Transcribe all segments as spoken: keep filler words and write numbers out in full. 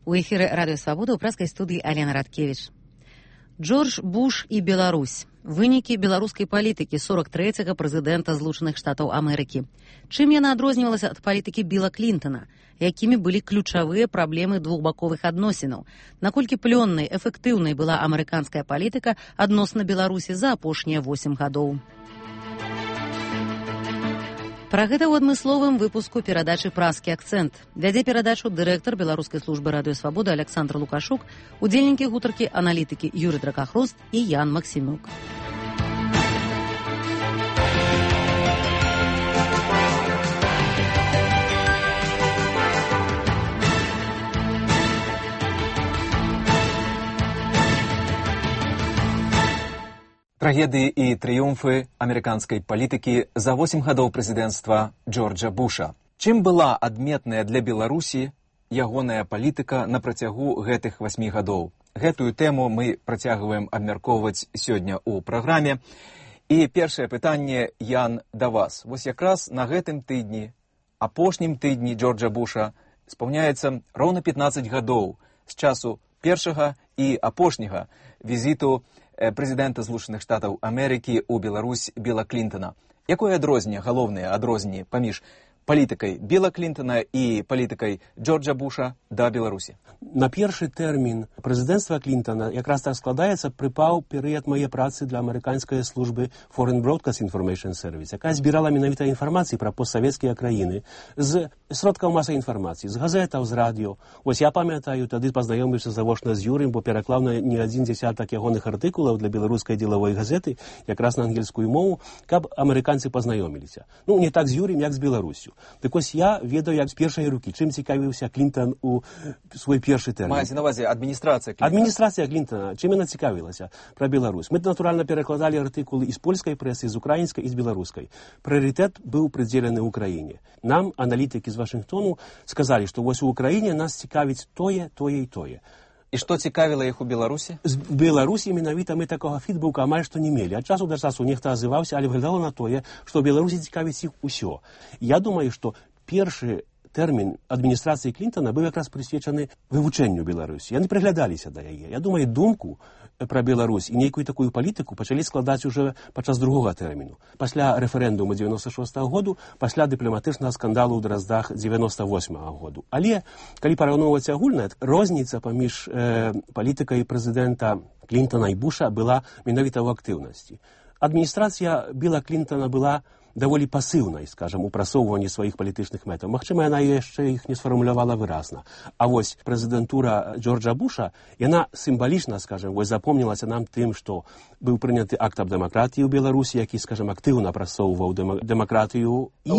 У эфіры Радыё Свабода ў праскай студыі Алена Радкевіч. Джордж Буш і Беларусь. Вынікі беларускай палітыкі сорок трэцяга прэзідэнта Злучаных Штатаў Амерыкі. Чым яна адрознівалася ад палітыкі Біла Клінтана? Якімі былі ключавыя праблемы двухбаковых адносінаў? Наколькі плённай, эфектыўнай была амерыканская палітыка адносна Беларусі за апошнія восем гадоў? Пра гэта ў адмысловым выпуску перадачы «Праскі акцэнт». Вядзе перадачу дырэктар беларускай службы Радыё Свабода Александр Лукашук, удзельнікі гутаркі аналітыкі Юрый Дракахрост і Ян Максімюк. Трагедыі і трыумфы амерыканскай палітыкі за восем гадоў прэзідэнцтва Джорджа Буша. Чым была адметная для Беларусі ягоная палітыка на працягу гэтых васьмі гадоў? Гэтую тэму мы працягваем абмяркоўваць сёння ў праграме. І першае пытанне, Ян, да вас. Вось якраз на гэтым тыдні, апошнім тыдні Джорджа Буша, спаўняецца роўна пятнаццаць гадоў з часу першага і апошняга візіту прэзідэнта Злучаных Штатаў Амерыкі ў Беларусь Біла Клінтана. Якое адрозненне, галоўнае адрозненне паміж палітыкай Біла Клінтана і палітыкай Джорджа Буша да Беларусі? На першы тэрмін прэзідэнцтва Клінтана якраз так складаецца, прыпаў перыяд мае працы для амерыканскай службы Foreign Broadcast Information Service, якая збірала менавіта інфармацыі пра постсавецкія краіны з сродкаў масавай інфармацыі, з газетаў, з радыё. Вось я памятаю, тады пазнаёміўся завочна з Юрым, бо пераклаў на не адзін дзясятак ягоных артыкулаў для беларускай дзелавой газеты, якраз на ангельскую мову, каб амерыканцы пазнаёміліся. Ну, не так з Юрым, як з Беларуссю. Так ось я ведаю, як з першай рукі, чым цікавіўся Клінтан у свой першы тэрмін. Маеце на ўвазе адміністрацыя Клінтана? Адміністрацыя Клінтана, чым яна цікавілася пра Беларусь. Мы, натуральна, перакладалі артыкулы і з польскай прэсы, з украінскай і з беларускай. Прыярытэт быў прыдзелены ўкраіне. Нам, аналітыкі з Вашынгтону, сказалі, што вось у Украіне нас цікавіць тое, тое і тое. І што цікавіла іх у Беларусі? З Беларусі менавіта мы такога фідбука амаль што не мелі. Ад часу да часу нехта азываўся, але выглядала на тое, што ў Беларусі цікавіць іх усё. Я думаю, што першы тэрмін адміністрацыі Клінтана быў якраз прысвечаны вывучэнню Беларусі. Яны прыглядаліся да яе. Я думаю, думку пра Беларусь і нейкую такую палітыку пачалі складаць уже падчас другога тэрміну. Пасля рэферэндуму дзевяноста шостага году, пасля дыпламатычнага скандалу ў Драздах дзевяноста восьмага году. Але, калі параўноўваць агульна, розніца паміж э, палітыкай прэзідэнта Клінтана і Буша была менавіта ў актыўнасці. Адміністрацыя Біла Клінтана была даволі пасыўнай, скажам, у прасоўванні сваіх палітычных мэтаў. Магчыма, яна яшчэ іх не сфармулявала выразна. А вось прэзідэнтура Джорджа Буша, яна сімвалічна, скажам, вось запомнілася нам тым, што быў прыняты акт аб дэмакратыі ў Беларусі, які, скажам, актыўна прасоўваў дэма- дэмакратыю. І...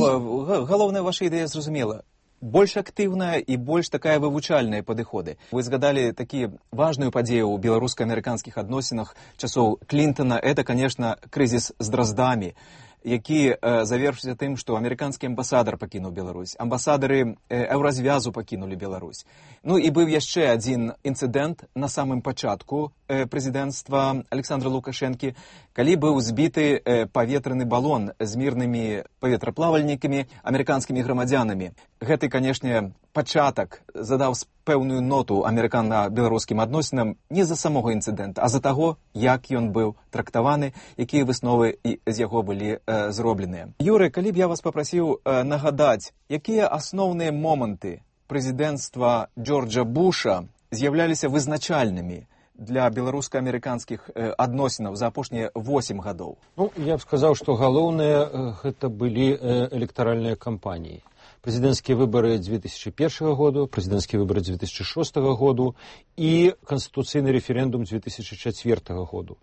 Галоўная ваша ідэя зразумела. Больш актыўная і больш такая вывучальная падыходы. Вы згадалі такі важную падзею ў беларуска-амерыканскіх адносінах часоў Клінтана. Это, конечно, крызіс з Драздамі, які э, завершыўся тым, што амерыканскі амбасадар пакінуў Беларусь, амбасадары э, Еўразвязу пакінулі Беларусь. Ну і быў яшчэ адзін інцыдэнт на самым пачатку э, прэзідэнцтва Александра Лукашэнкі, калі быў збіты э, паветраны балон з мірнымі паветраплавальнікамі, амерыканскімі грамадзянамі. Гэты, канешне, пачатак задаў пэўную ноту амерыкана-беларускім адносінам не з-за самога інцыдэнта, а з-за таго, як ён быў трактаваны, якія высновы з яго былі э, зробленыя. Юры, калі б я вас папрасіў э, нагадаць, якія асноўныя моманты прэзідэнцтва Джорджа Буша з'яўляліся вызначальнымі для беларуска-амерыканскіх э, адносінаў за апошнія восем гадоў? Ну, я б сказаў, што галоўныя гэта былі э, электаральныя кампаніі. Прэзідэнцкія выбары две тысячи первого году, прэзідэнцкія выбары две тысячи шестого году і канстытуцыйны рэферэндум две тысячи четвёртого году.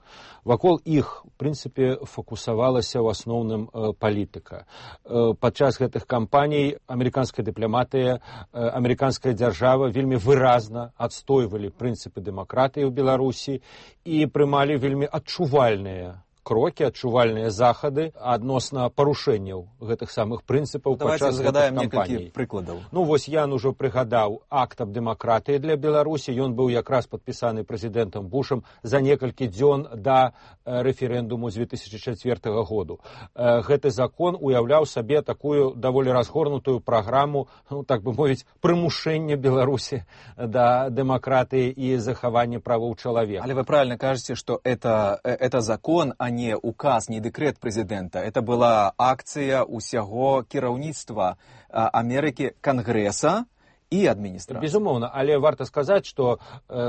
Вакол іх, в прынцыпе, фокусавалася ў асноўным э, палітыка. Э, падчас гэтых кампаній амерыканская дыпламатыя, э, амерыканская дзяржава вельмі выразна адстойвалі прынцыпы дэмакратыі ў Беларусі і прымалі вельмі адчувальныя крокі, адчувальныя захады адносна парушэнняў гэтых самых прынцыпаў падчас гэтых кампаній. Прыкладаў. Ну вось Ян ужо прыгадаў акт аб дэмакратыі для Беларусі. Ён быў якраз падпісаны прэзідэнтам Бушам за некалькі дзён да рэферэндуму з две тысячы чацвёртага году. Гэты закон уяўляў сабе такую даволі разгорнутую праграму, ну, так бы мовіць, прымушэння Беларусі да дэмакратыі і захавання правоў чалавека. Але вы правильно кажете, что это, это закон, а не указ, не декрет президента. Это была акция усяго кіраўніцтва Америки, Конгресса и администрации. Безумоўна, але варта сказаць, што,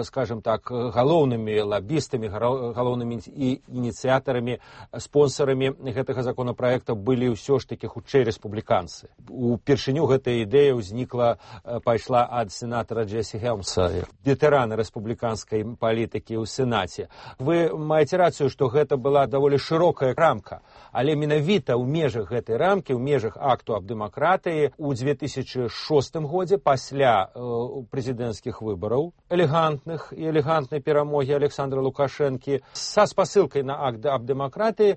скажем так, галоўнымі лабістамі, галоўнымі ініцыятарамі, спонсорамі гэтага законапраекта былі ўсё ж такі хутчэй рэспубліканцы. Упершыню гэтая ідэя ўзнікла, пайшла ад сенатара Джесі Хелмса, ветэрана рэспубліканскай палітыкі ў Сенаце. Вы маеце рацыю, што гэта была даволі шырокая рамка, але менавіта ў межах гэтай рамкі, ў межах акту аб дэмакратыі ў две тысячы шостым годзе пасля пасля э, прэзідэнцкіх выбараў, элегантных і элегантнай перамогі Александра Лукашэнкі, са спасылкай на акт аб дэмакратыі э,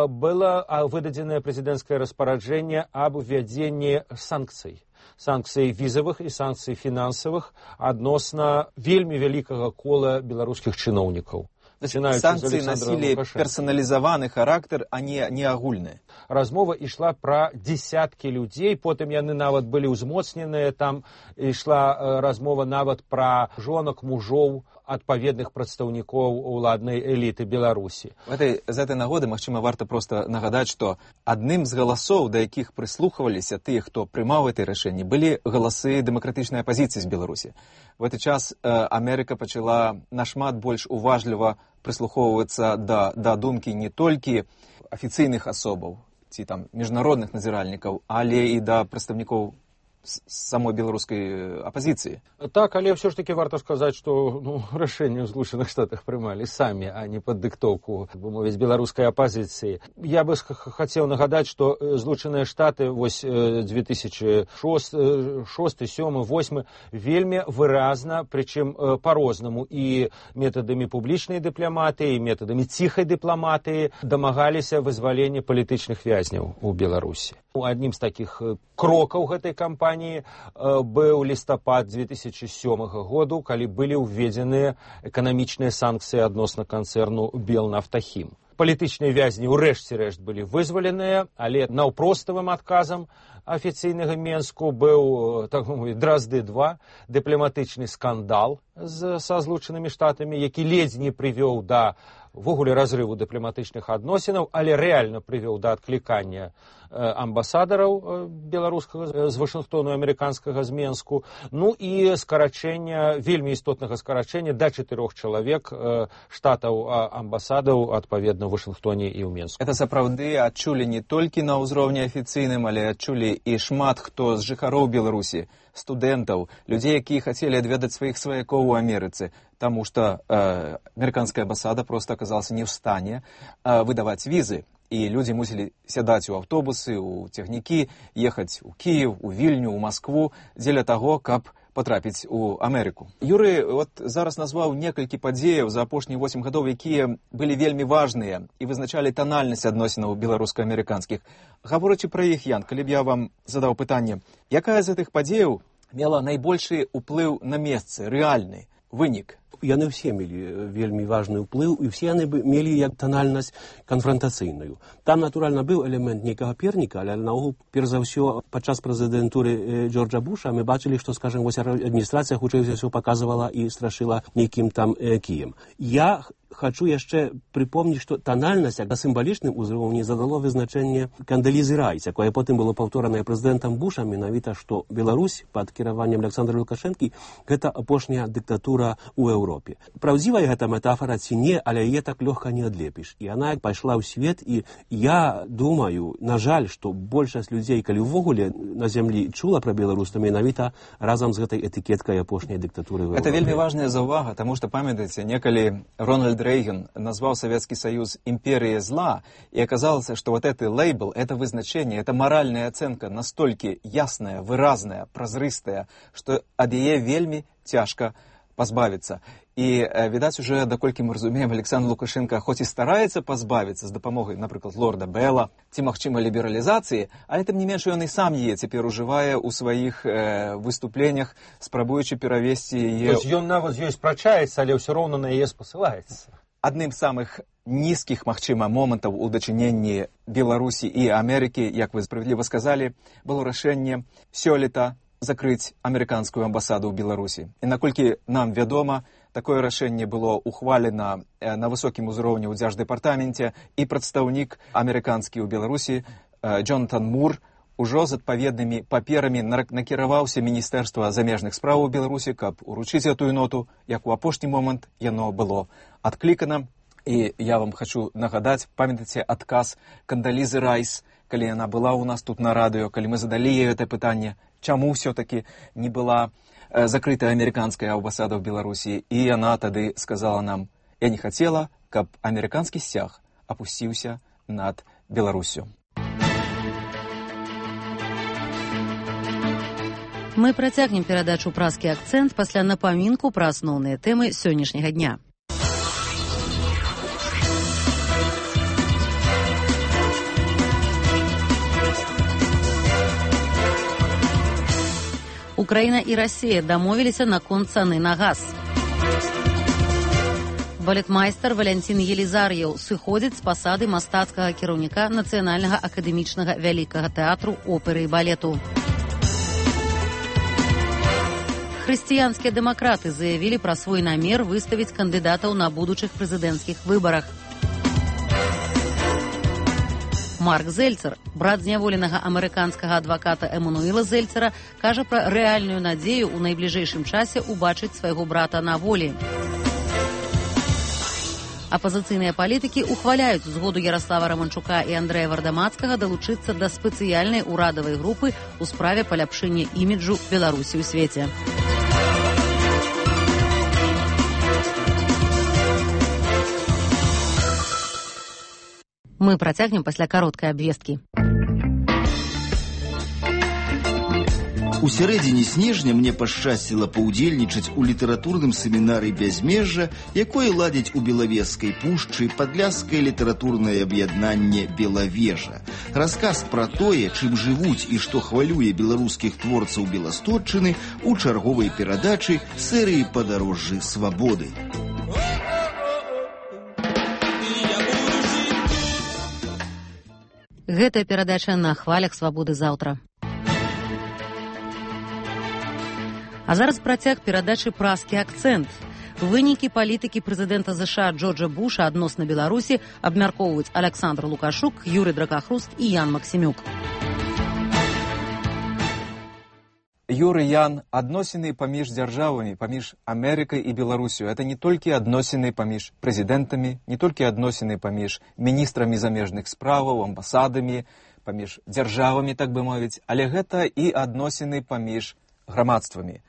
было выдадзенае прэзідэнцкае распараджэнне аб увядзенні санкцый. Санкцый візавых і санкцый фінансавых адносна вельмі вялікага кола беларускіх чыноўнікаў. Санкции носили персонализованный характер, а не, не агульные. Размова ішла пра дзесяткі людзей, потым яны нават былі ўзмоцненыя, там ішла размова нават пра жонак, мужоў, адпаведных прадстаўнікоў уладнай эліты Беларусі. В этой, з этой нагоды, магчыма, варта просто нагадаць, што адным з галасоў, да якіх прыслухваліся тыя, хто прымаў гэтае рашэнне, былі галасы дэмакратычнай апазіцыі з Беларусі. В гэты час э, Амерыка пачала нашмат больш уважліва прыслухоўвацца да, да думкі не толькі афіцыйных асобаў ці там міжнародных назіральнікаў, але і да прадстаўнікоў самой беларускай апозіцыі. Так, але ўсё ж таки варта сказаць, што ну, рашэнне ў Злучаных Штатах прымалі самі, а не пад дыктоўку, бы мовіць, беларускай апозіцыі. Я бы хацеў нагадаць, што Злучаныя Штаты вось две тысячы шосты, сёмы, восьмы вельмі выразна, прычым па-рознаму і метадамі публічнай дыпламатыі, і метадамі ціхай дыпламатыі дамагаліся вызвалення палітычных вязняў у Беларусі. Аднім з такіх крокаў гэтай кампаніі быў лістапад две тысячы сёмага году, калі былі ўведзеныя эканамічныя санкцыі адносна канцэрну Белнафтахім. Палітычныя вязні ўрэшце рэшт былі вызваленыя, але наўпроставым адказам афіцыйнага Менску быў, так мовіць, Дразды два, дыпламатычны скандал з, са Злучанымі Штатамі, які ледзь не прывёў да ввогуле разрыву дыпламатычных адносінаў, але рэальна прывёў да адклікання амбасадараў беларускага з Вашынгтону, амерыканскага з Менску, ну і скарачэння, вельмі істотнага скарачэння да чатырох чалавек штатаў амбасадаў, адпаведна, ў Вашынгтоне і ў Менску. Это сапраўды адчулі не толькі на ўзроўні афіцыйным, але адчулі і шмат хто з жыхароў Беларусі, студэнтаў, людзей, якія хацелі адведаць сваіх сваякоў у Амерыцы, таму што э, амерыканская амбасада проста аказалася не ў стане э, выдаваць візы. І людзі мусілі сядаць у аўтобусы, у цягнікі, ехаць у Кіев, у Вільню, у Маскву, дзеля таго, каб потрапіць у Амерыку. Юрый вот зараз назваў некалькі падзеяў за апошнія восем гадоў, якія былі вельмі важныя і вызначалі танальнасць адносінаў беларуска-амерыканскіх. Гаворачы пра іх, Ян, калі б я вам задаў пытанне, якая з гэтых падзеяў мела найбольшы ўплыў на месцы, рэальны вынік? Яны ўсе мелі вельмі важны ўплыў, і ўсе яны мелі як танальнасць канфрантацыйную. Там, натуральна, быў элемент нейкага перніка, але наогул, перш за ўсё, падчас прэзідэнтуры Джорджа Буша мы бачылі, што, скажем, вось адміністрацыя хутчэй за ўсё паказвала і страшыла нейкім там э, кіем. Я хочу яшчэ припомніць, што танальнасць на сімвалічным узроўні задало вызначэнне Кандалізы Райс, якое потым было паўторанае прэзідэнтам Бушам, менавіта, што Беларусь пад кіраваннем Александра Лукашэнкі гэта апошняя дыктатура ў Еўропе. Праўдзівая гэта метафора ці не, але яе так лёгка не адлепіш. І яна пайшла ў свет, і я думаю, на жаль, што большасць людзей, калі ўвогуле на зямлі чула пра Беларусь, то менавіта разам з гэтай этыкеткай апошняй дыктатуры ў Еўропе. Это вельмі важная заўвага, таму што, памятаеце, некалі Рональд Рейган назвал Советский Союз империей зла, и оказалось, что вот этот лейбл, это вызначение, это моральная оценка настолько ясная, выразная, прозрыстая, что от яе вельми тяжко позбавиться. І, відаць, уже, даколькі мы разумеем, Александр Лукашенко хоць і стараецца пазбавіцца з дапамогай, напрыклад, лорда Белла ці, магчыма, лібералізацыі, але тым не менш ён і сам яе цяпер ужывае ў сваіх э, выступленнях, спрабуючы перавесці яе... Тобто ён нават з ёй спрачаецца, але ўсё роўна на яе спасылаецца. Адным з самых нізкіх, магчыма, момантаў у дачыненні Беларусі і Амерыкі, як вы справядліва сказалі, было рашэнне сёлета закрыць амерыканскую амбасаду ў Беларусі. І наколькі нам вядома, такое рашэнне было ухвалена на высокім узроўні ў дзярждэпартаменце, і прадстаўнік амерыканскі ў Беларусі Джонатан Мур ужо з адпаведнымі паперамі накіраваўся Міністэрства замежных спраў у Беларусі, каб уручыць гэтую ноту, як у апошні момант яно было адклікана. І я вам хочу нагадаць, памятаеце адказ Кандалізы Райс, калі яна была ў нас тут на радыё, калі мы задалі ёй гэта пытанне, чаму ўсё-такі не была закрытая амерыканская амбасада ў Беларусі. І яна тады сказала нам: я не хацела, каб амерыканскі сцяг апусціўся над Беларусю. Мы працягнем перадачу «Празкі акцэнт» пасля напамінку пра асноўныя тэмы сённяшняга дня. Украіна і Расія дамовіліся наконт цаны на газ. Балетмайстар Валянцін Елізар'еў сыходзіць з пасады мастацкага кіраўніка Нацыянальнага акадэмічнага вялікага тэатру оперы і балету. Хрысціянскія дэмакраты заявілі пра свой намер выставіць кандыдатаў на будучых прэзідэнцкіх выбарах. Марк Зельцер, брат зняволенага амерыканскага адваката Эмануэла Зельцера, кажа пра рэальную надзею ў найбліжэйшым часе ўбачыць свайго брата на волі. Апазіцыйныя палітыкі ухваляюць згоду Яраслава Раманчука і Андрэя Вардамацкага далучыцца да спецыяльнай урадавай групы ў справе паляпшэння іміджу Беларусі ў свеце. Мы працягнем пасля кароткай абвесткі. У сярэдзіне снежня мне пашчасціла паўдзельнічаць у літаратурным семінары «Бязмежжа», якое ладзяць у Белавежскай пушчы падляшскае літаратурнае аб'яднанне «Белавежа». Расказ пра тое, чым жывуць і што хвалюе беларускіх творцаў Беластотчыны у чарговай перадачы серыі «Падарожжы свабоды». Гэтая перадача на хвалях свабоды заўтра. А зараз працяг перадачы «Празкі акцэнт». Вынікі палітыкі прэзідэнта ЗША Джорджа Буша адносна Беларусі абмяркоўваюць Александр Лукашук, Юрый Дракахруст і Ян Максімюк. Юрый, Ян, адносіны паміж дзяржавамі, паміж Амерыкай і Беларусю, это не толькі адносіны паміж прэзідэнтамі, не толькі адносіны паміж міністрамі замежных справаў, амбасадамі, паміж дзяржавамі, так бы мовіць, але гэта і адносіны паміж грамадствамі,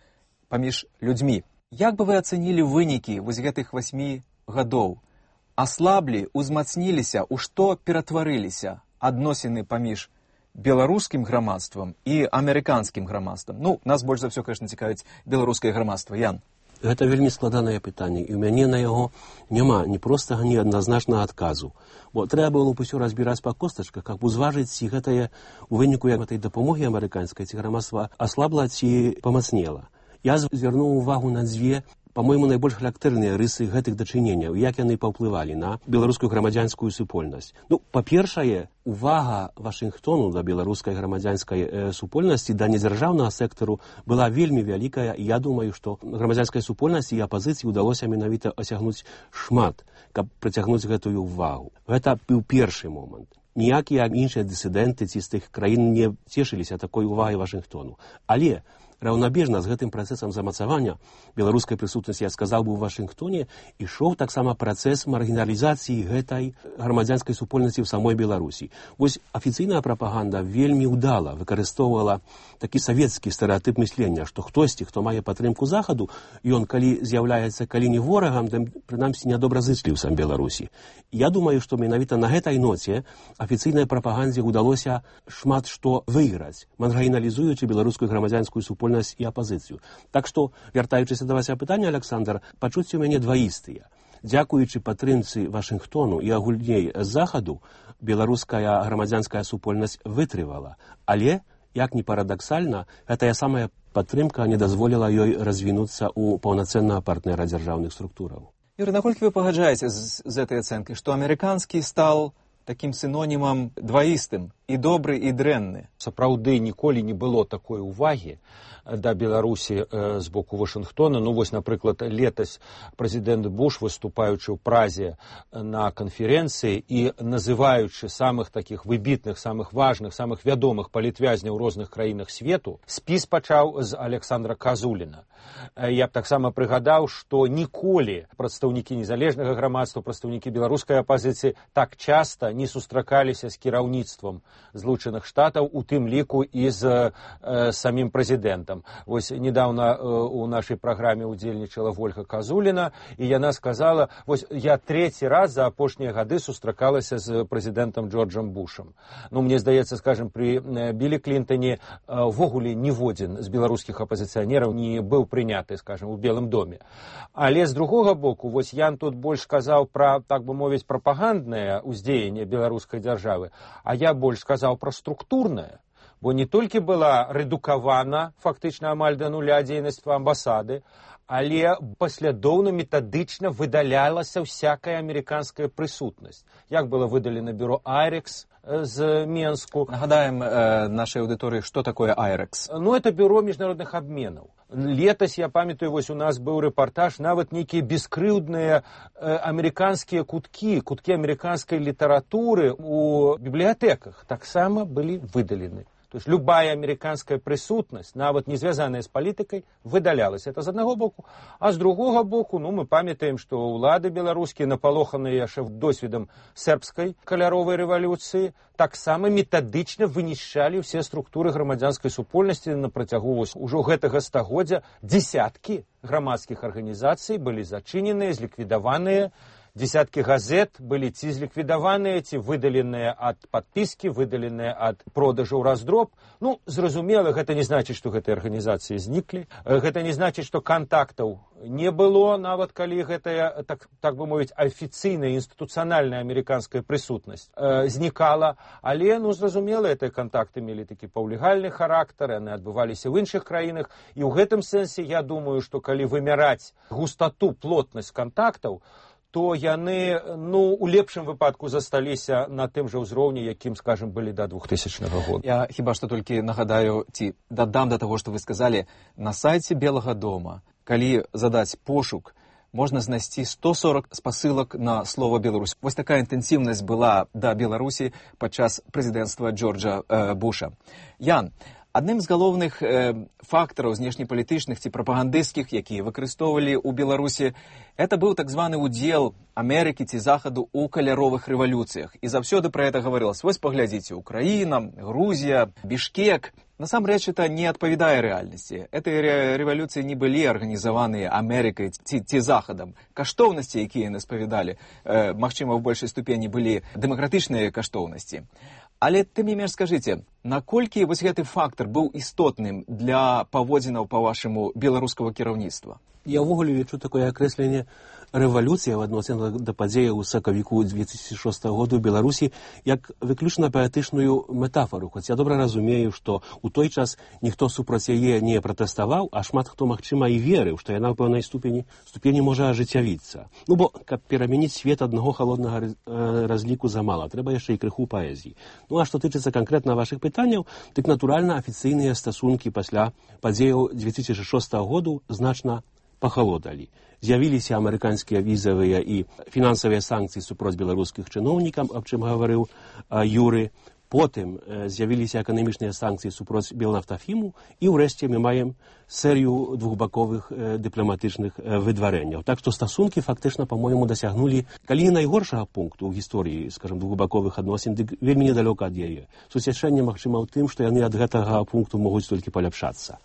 паміж людзьмі. Як бы вы ацэнілі вынікі вось гэтых васьмі гадоў? Аслаблі, узмацніліся, у што ператварыліся адносіны паміж беларускім грамадствам і амерыканскім грамадствам? Ну, нас больш за ўсё, конечно, цікавіць беларускае грамадства. Ян. Гэта вельмі складанае пытанне, і ў мяне на яго няма ні простага, ні адназначнага адказу. Бо трэба было б усё разбіраць па костачках, каб узважыць, ці гэтае у выніку гэтай дапамогі амерыканскай, ці грамадства аслабла, ці памацнела. Я звярнуў увагу на дзве, па-мойму, найбольш характэрныя рысы гэтых дачыненняў, як яны паўплывалі на беларускую грамадзянскую супольнасць. Ну, па-першае, увага Вашынгтону да беларускай грамадзянскай э, супольнасці, да недзяржаўнага сектару была вельмі вялікая, і я думаю, што грамадзянскай супольнасці і апазіцыі ўдалося менавіта асягнуць шмат, каб прыцягнуць гэтую увагу. Гэта быў першы момант. Ніякія іншыя дысідэнты ці з тых краін не цешыліся такой увагай Вашынгтону. Але раўнабежна з гэтым працэсам замацавання беларускай прысутнасці, я сказаў бы, у Вашынгтоне ішоў таксама працэс маргіналізацыі гэтай грамадзянскай супольнасці ў самой Беларусі. Вось афіцыйная прапаганда вельмі ўдала выкарыстоўвала такі савецкі стэрэатып мыслення, што хтосьці, хто мае падтрымку захаду, ён калі з'яўляецца калі не ворагам, то прынамсі нядобразычліў сам Беларусі. Я думаю, што менавіта на гэтай ноце афіцыйнай прапагандзе ўдалося шмат што выйграць, маргіналізуючы беларускую грамадзянскую супольнасць супольнасць і апазіцыю. Так што, вяртаючыся да вашага пытання, Александр, пачуцці ў мяне дваістыя. Дзякуючы падтрымцы Вашынгтону і агульней з захаду, беларуская грамадзянская супольнасць вытрывала. Але, як ні парадаксальна, гэтая самая падтрымка не дазволіла ёй развінуцца ў паўнацэннага партнера дзяржаўных структураў. Юрий, наколькі вы пагаджаеце з, з этой ацэнкай, што амерыканскі стал таким синонімам дваістым, і добры, і дрэнны? Сапраўды ніколі не было такой увагі да Беларусі э, з боку Вашынгтона. Ну вось, напрыклад, летась прэзідэнт Буш, выступаючы ў Празе на канферэнцыі і называючы самых такіх выбітных, самых важных, самых вядомых палітвязняў у розных краінах свету, спіс пачаў з Александра Казуліна. Я б таксама прыгадаў, што ніколі прадстаўнікі незалежнага грамадства, прадстаўнікі беларускай апазіцыі так часта не сустракаліся з кіраўніцтвам Злучаных Штатаў, у тым ліку і з э, самім прэзідэнтам. Вось недавно э, у нашай праграме удзельнічала Вольга Казуліна, і яна сказала, вось я трэці раз за апошнія гады сустракалася з прэзідэнтам Джорджам Бушам. Ну, мне здаецца, скажем, при э, Білі Клінтоне ввогуле э, ніводзін з беларускіх апазіцыянераў не быў прыняты, скажем, у Белым доме. Але з другога боку, вось Ян тут больш сказаў пра, так бы мовіць, прапаганднае ўздзеянне беларускай дзяржавы, а я больш сказаў пра структурнае. Бо не толькі была рэдукавана фактычна амаль да нуля дзейнасць амбасады, але паслядоўна метадычна выдалялася всякая амерыканская прысутнасць. Як было выдалена бюро Айрекс з Менску. Нагадаем э, нашай аўдыторыі, што такое Айрекс. Ну, это бюро міжнародных абменаў. Летась, я памятаю, вось у нас быў рэпартаж, нават нейкія бескрыўдныя э, амерыканскія куткі, куткі амерыканскай літаратуры у бібліятэках таксама былі выдалены. То есть любая американская присутность, нават не звязаная с политикой, выдалялась. Это з одного боку. А з другого боку, ну, мы памятаем, что улады беларускія, напалоханыя яшчэ досведам сербской каляровой рэвалюцыі, таксама метадычна вынішчалі ўсе структуры грамадзянскай супольнасці на працягу ўжо гэтага стагоддзя. Дзесяткі грамадскіх арганізацый былі зачыненыя, зліквідаваныя. Десяткі газет былі ці зліквідаваныя, ці выдаленыя ад падпіскі, выдаленыя ад продажу ў раздроб. Ну, зразумела, гэта не значыць, што гэтыя арганізацыі зніклі. Гэта не значыць, што кантактаў не было, нават калі гэтая, так, так бы мовіць, афіцыйная, інстытуцыянальная амерыканская прысутнасць э, знікала. Але, ну, зразумела, гэтыя кантакты мелі такі паўлегальны характар, яны адбываліся ў іншых краінах. І ў гэтым сэнсе я думаю, што калі вымяраць густату, плотнасць кантактаў, то яны, ну, у лепшым выпадку засталіся на тым жа ўзроўні, якім, скажем, былі да двухтысячнага года. Я хіба што толькі нагадаю, ці дадам да таго, што вы сказалі, на сайце Белага дома, калі задаць пошук, можна знайсці сто сорок спасылак на слова Беларусь. Вось такая інтэнсіўнасць была да Беларусі падчас прэзідэнцтва Джорджа э, Буша. Ян, адным з галоўных э, фактараў знешнепалітычных ці прапагандысцкіх, якія выкарыстоўвалі ў Беларусі, это быў так званы удзел Амерыкі ці Захаду ў каляровых рэвалюцыях. І заўсёды пра гэта гаварылася. Вось паглядзіце, Украіна, Грузія, Бішкек. Насамрэч, это не адпавядае рэальнасці. Гэтыя рэвалюцыі не былі арганізаваныя Амерыкай ці, ці Захадам. Каштоўнасці, якія яны спавядалі, э, магчыма, ў большай ступені былі дэмакратычныя каштоўнасці. Але тым не менш скажыце, наколькі вось гэты фактар быў істотным для паводзінаў, па-вашаму, беларускага кіраўніцтва? Я ўвогуле лічу такое акрэсленне рэвалюцыя в адносінах да падзеяў у сакавіку две тысячи шостага году ў Беларусі як выключна паэтычную метафору. Хоць я добра разумею, што ў той час ніхто супраць яе не пратэставаў, а шмат хто, магчыма, і верыў, што яна ў пэўнай ступені, ступені можа ажыццявіцца. Ну, бо, каб перамяніць свет аднаго халоднага разліку замала, трэба яшчэ і крыху паэзіі. Ну, а што тычыцца канкрэтна вашых пытанняў, дык, натуральна, афіцыйныя стасункі пасля падзеяў две тысячи шостага году значна пахалодалі. З'явіліся амерыканскія візавыя і фінансавыя санкцыі супроць беларускіх чыноўнікаў, аб чым гаварыў а, Юры. Потым э, з'явіліся эканамічныя санкцыі супроць Белнафтафіму, і ўрэшце мы маем серыю двухбаковых э, дыпламатычных э, выдварэнняў. Так што стасункі фактычна, па-мойму, дасягнулі, калі не найгоршага пункту ў гісторыі, скажем, двухбаковых адносін, дык вельмі недалёка ад яе. Суцяшэнне, магчыма, ў тым, што яны ад гэтага пункту могуць толькі паляпшацца.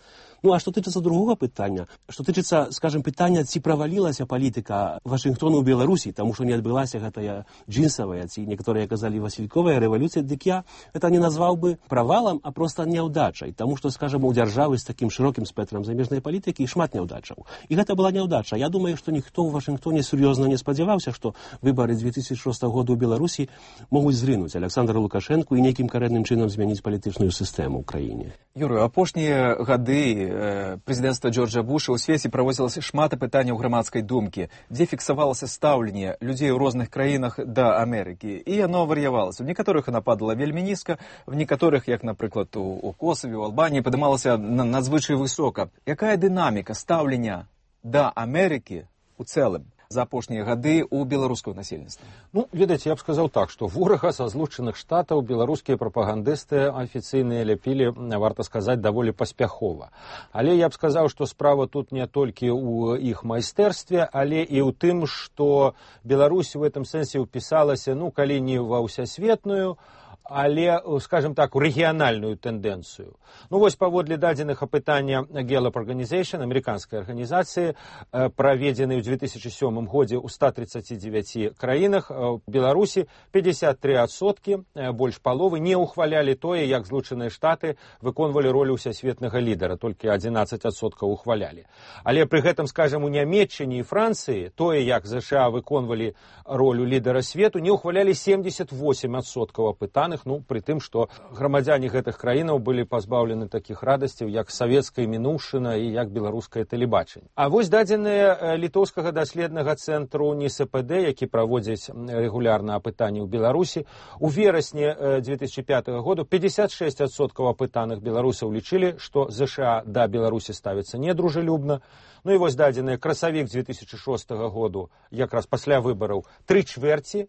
Ну, а што тычыцца другога пытання, што тычыцца, скажем, пытання, ці правалілася палітыка Вашынгтону ў Беларусі, таму што не адбылася гэтая джинсавая, ці некаторыя казалі васільковая рэвалюцыя, дык я гэта не назваў бы правалам, а проста няўдачай, таму што, скажем, у дзяржавы з такім шырокім спектрам замежнай палітыкі шмат няўдачаў. І гэта была няўдача. Я думаю, што ніхто ў Вашынгтоне сур'ёзна не спадзяваўся, што выбары две тысячи шостого года ў Беларусі могуць зрынуць Александра Лукашэнку і нейкім карэнным чынам змяніць палітычную сістэму ў краіне. Юрый, апошнія гады э, прэзідэнцтва Джорджа Буша ў свеце праводзілася шмат апытанняў грамадскай думкі, дзе фіксавалася стаўленне людзей у розных краінах да Амерыкі. І яно вар'явалася. У некаторых яна падала вельмі нізка, в некаторых, як, напрыклад, у, у Косаве, у Албаніі, падымалася на, надзвычай высока. Якая дынаміка стаўлення да Амерыкі у цэлым за апошнія гады ў беларускага насельніцтва? Ну, ведаеце, я б сказаў так, што ворага са злучаных штатаў беларускія прапагандысты афіцыйныя ляпілі, варта сказаць, даволі паспяхова. Але я б сказаў, што справа тут не толькі ў іх майстэрстве, але і ў тым, што Беларусь у гэтым сэнсе ўпісалася, ну, калі не ва ўсясветную, але, скажем так, у рэгіянальную тэндэнцыю. Ну, вось паводле дадзеных апытання Gallup Organization, амерыканскай арганізацыі, праведзены ў две тысячи сёмым годзе ў ста тридцати девяти краінах, у Беларусі пятьдесят три адсоткі, больш паловы, не ўхвалялі тое, як Злучаныя Штаты выконвалі ролю ўсясветнага лідара, толькі одиннадцать адсоткаў ухвалялі. Але пры гэтым, скажем, у Нямецчыне і Францыі тое, як ЗША выконвалі ролю лідара свету, не ўхвалялі семьдесят восемь адсоткаў апытаных, ну, пры тым, што грамадзяне гэтых краінаў былі пазбаўлены такіх радасцяў, як савецкая мінуўшчына і як беларускае тэлебачанне. А вось дадзеныя літоўскага даследнага цэнтру НИСПД, які праводзіць рэгулярна апытанні ў Беларусі, у верасні две тысячи пятого года пятьдесят шесть адсоткаў апытаных беларусаў лічылі, што ЗША да Беларусі ставіцца недружелюбна. Ну і вось дадзеныя красавік две тысячи шостого году, якраз пасля выбараў, тры чвэрці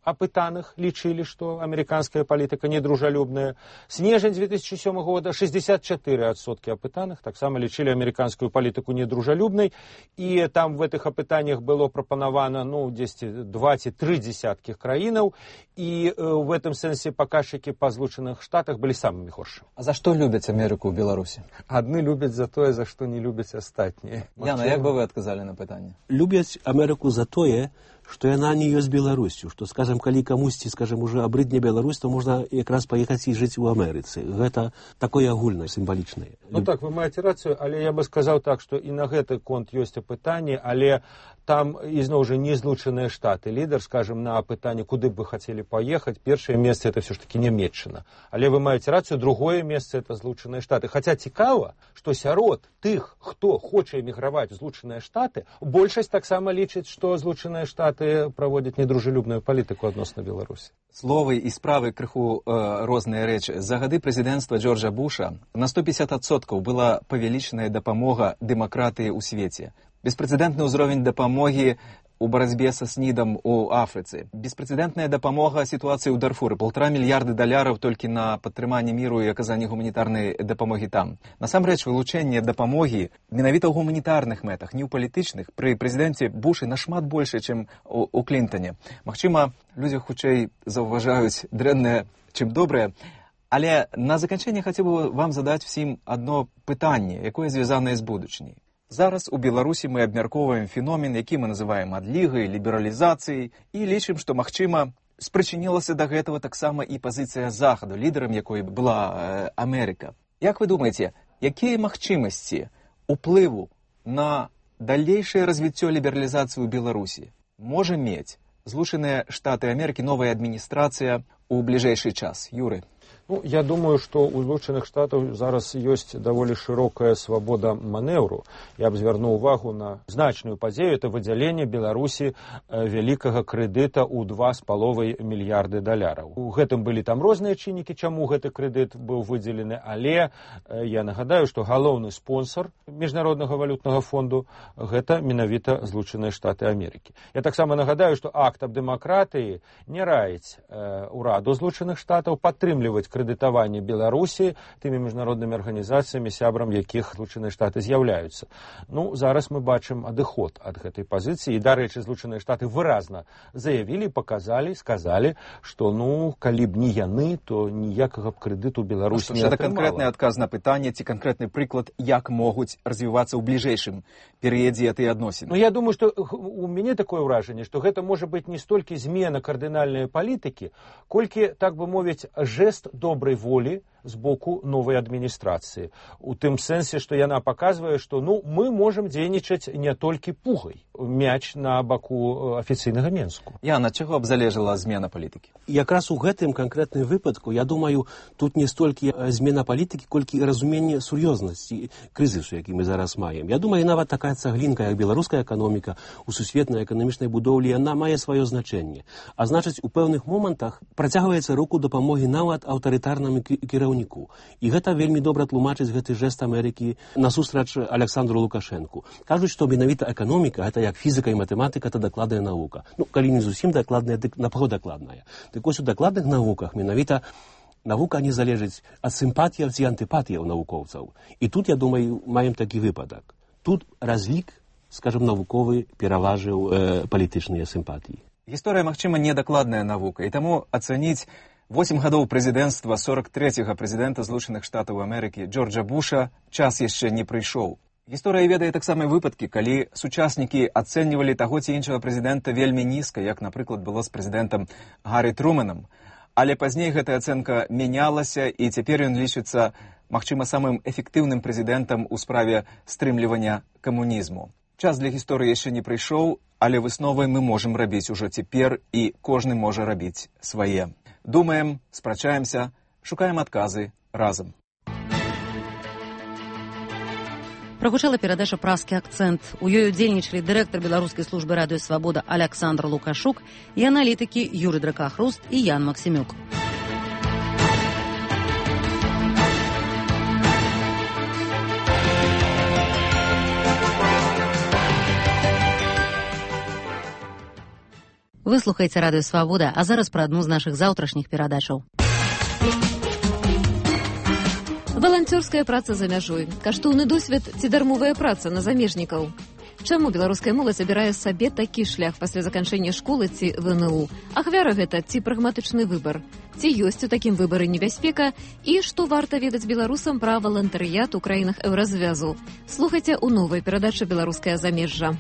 апытаных лічылі, што амерыканская палітыка недружалюбная. Снежань две тысячи сёмого года шестьдесят четыре адсоткі апытаных таксама лічылі амерыканскую палітыку недружалюбнай, і там в гэтых апытаннях было прапанавана, ну, дзесьці два ці тры дзесяткі краінаў, і в гэтым сэнсе паказчыкі па Злучаных Штатах былі самымі горшымі. А за што любяць Амерыку ў Беларусі? Адны любяць за тое, за што не любяць астатнія. Яна, як бы вы адказалі на пытанне? Любяць Амерыку за тое, што яна не ёсць Беларусю, што, скажем, калі камусьці, скажем, уже абрыдне Беларусь, то можна якраз паехаць і жыць у Амерыцы. Гэта такое агульнае, сімвалічнае. Ну так, вы маеце рацыю, але я бы сказаў так, што і на гэты конт ёсць апытанне, але там ізноў жа не Злучаныя Штаты. Лідар, скажем, на апытанне, куды б вы хацелі паехаць, першае месца это все ж таки Нямецчына. Але вы маеце рацыю, другое месца это Злучаныя Штаты. Хаця цікава, што сярод тых, хто хоча эміграваць у Злучаныя Штаты, большасць таксама лічыць, што Злучаныя Штаты праводзяць недружелюбную палітыку адносна Беларусі. Словы і справы крыху э, розныя рэчы. За гады прэзідэнцтва Джорджа Буша на сто пятьдесят адсоткаў была павялічаная дапамога дэмакратыі ў свеце. Беспрэцэдэнтны ўзровень дапамогі у барацьбе са снідам у Афрыцы. Беспрэцэдэнтная дапамога сітуацыі ў Дарфуры. Полтора мільярды даляраў толькі на падтрыманне міру і аказанне гуманітарнай дапамогі там. Насамрэч, вылучэнне дапамогі менавіта ў гуманітарных мэтах, не ў палітычных, пры прэзідэнце Бушы нашмат больше, чым у, у Клінтане. Магчыма, людзі хутчэй заўважаюць дрэннае, чым добрае. Але на заканчэнне хацеў бы вам задаць всім адно пытанне, якое звязанае з будучыняй. Зараз у Беларусі мы абмяркоўваем феномен, які мы называем адлігай, лібералізацыяй, і лічым, што, магчыма, спрычынілася да гэтага таксама і пазіцыя Захаду, лідарам якой была э, Амерыка. Як вы думаеце, якія магчымасці уплыву на далейшае развіццё лібералізацыі ў Беларусі можа мець Злучаныя Штаты Амерыкі, новая адміністрацыя у бліжэйшы час? Юры. Ну, я думаю, што ў Злучаных Штатаў зараз ёсць даволі шырокая свабода манеўру. Я б звярнуў увагу на значную падзею, это выдзяленне Беларусі вялікага крэдыта ў два з паловай мільярды даляраў. У гэтым былі там розныя чыннікі, чаму гэты крэдыт быў выдзелены, але я нагадаю, што галоўны спонсор Міжнароднага валютнага фонду гэта менавіта Злучаныя Штаты Амерыкі. Я таксама нагадаю, што акт аб дэмакратыі не раіць э, ураду Злучаных Штатаў падтрымліваць дыскрэдытавання Беларусі тымі міжнароднымі арганізацыямі, сябрам якіх Злучаныя Штаты з'яўляюцца. Ну, зараз мы бачым адыход ад гэтай пазіцыі. І, дарэчы, Злучаныя Штаты выразна заявілі, паказалі, сказалі, што, ну, калі б не яны, то ніякага б крэдыту Беларусь не атрымала. Гэта канкрэтны адказ на пытанне ці канкрэтны прыклад, як могуць развівацца ў бліжэйшым перыядзе гэтыя адносіны. Ну, я думаю, што у мяне такое ўражанне, што гэта можа быць не столькі змена кардынальнай палітыкі, колькі, так бы мовіць, жэст добрай волі з боку новай адміністрацыі. У тым сэнсе, што яна паказвае, што ну, мы можам дзейнічаць не толькі пугай. Мяч на баку афіцыйнага Менску. Яна, чаго б залежала змена палітыкі? Якраз у гэтым канкрэтным выпадку, я думаю, тут не столькі змена палітыкі, колькі разуменне сур'ёзнасці крызісу, які мы зараз маем. Я думаю, нават такая цаглінка, як беларуская эканоміка у сусветнай эканамічнай будоўлі, яна мае сваё значэнне. А значыць, у пэўных момантах працягваецца руку дапамогі нават аўтарытарнаму кіраўніку. І гэта вельмі добра тлумачыць гэты жэст Амерыкі насустрач Александру Лукашэнку. Кажуць, што менавіта эканоміка, гэта як фізіка і матэматыка, это дакладная навука. Ну, калі не зусім дакладная, дык напаўдакладная. Дык вось у дакладных навуках менавіта навука не залежыць ад сімпатіяў ці антыпатіяў навукоўцаў. І тут, я думаю, маем такі выпадак. Тут разлік, скажем, навуковы пераважыў э, палітычныя сімпатіі. Гісторыя, магчыма, недакладная навука, і таму ацаніць восем гадоў прэзідэнцтва сорок трэцяга прэзідэнта Злучаных Штатаў Амерыкі Джорджа Буша час яшчэ не прыйшоў. Гісторыя ведае таксама выпадкі, калі сучаснікі ацэньвалі таго ці іншага прэзідэнта вельмі нізка, як, напрыклад, было з прэзідэнтам Гаррі Труманам. Але пазней гэтая ацэнка мянялася, і цяпер ён лічыцца, магчыма, самым эфектыўным прэзідэнтам у справе стрымлівання камунізму. Час для гісторыі яшчэ не прыйшоў, але высновы мы можам рабіць ужо цяпер, і кожны можа рабіць свае. Думаем, спрачаемся, шукаем адказы разам. Прагучала перадача «Празкі акцэнт». У ёй удзельнічалі дырэктар беларускай службы радыё «Свабода» Александр Лукашук і аналітыкі Юрый Дракахруст і Ян Максімюк. Вы слухаеце радыё «Свабода», а зараз пра адну з нашых заўтрашніх перадачаў. Валанцёрская праца за мяжой, каштоўны досвед ці дармовая праца на замежнікаў. Чаму беларуская моладзь абірае сабе такі шлях пасля заканчэння школы ці ВНУ? Ахвяра гэта ці прагматычны выбар? Ці ёсць у такім выбары небяспека? І што варта ведаць беларусам пра валантарыят у краінах еўразвязу? Слухайце ў новай перадачы «Беларускае замежжа».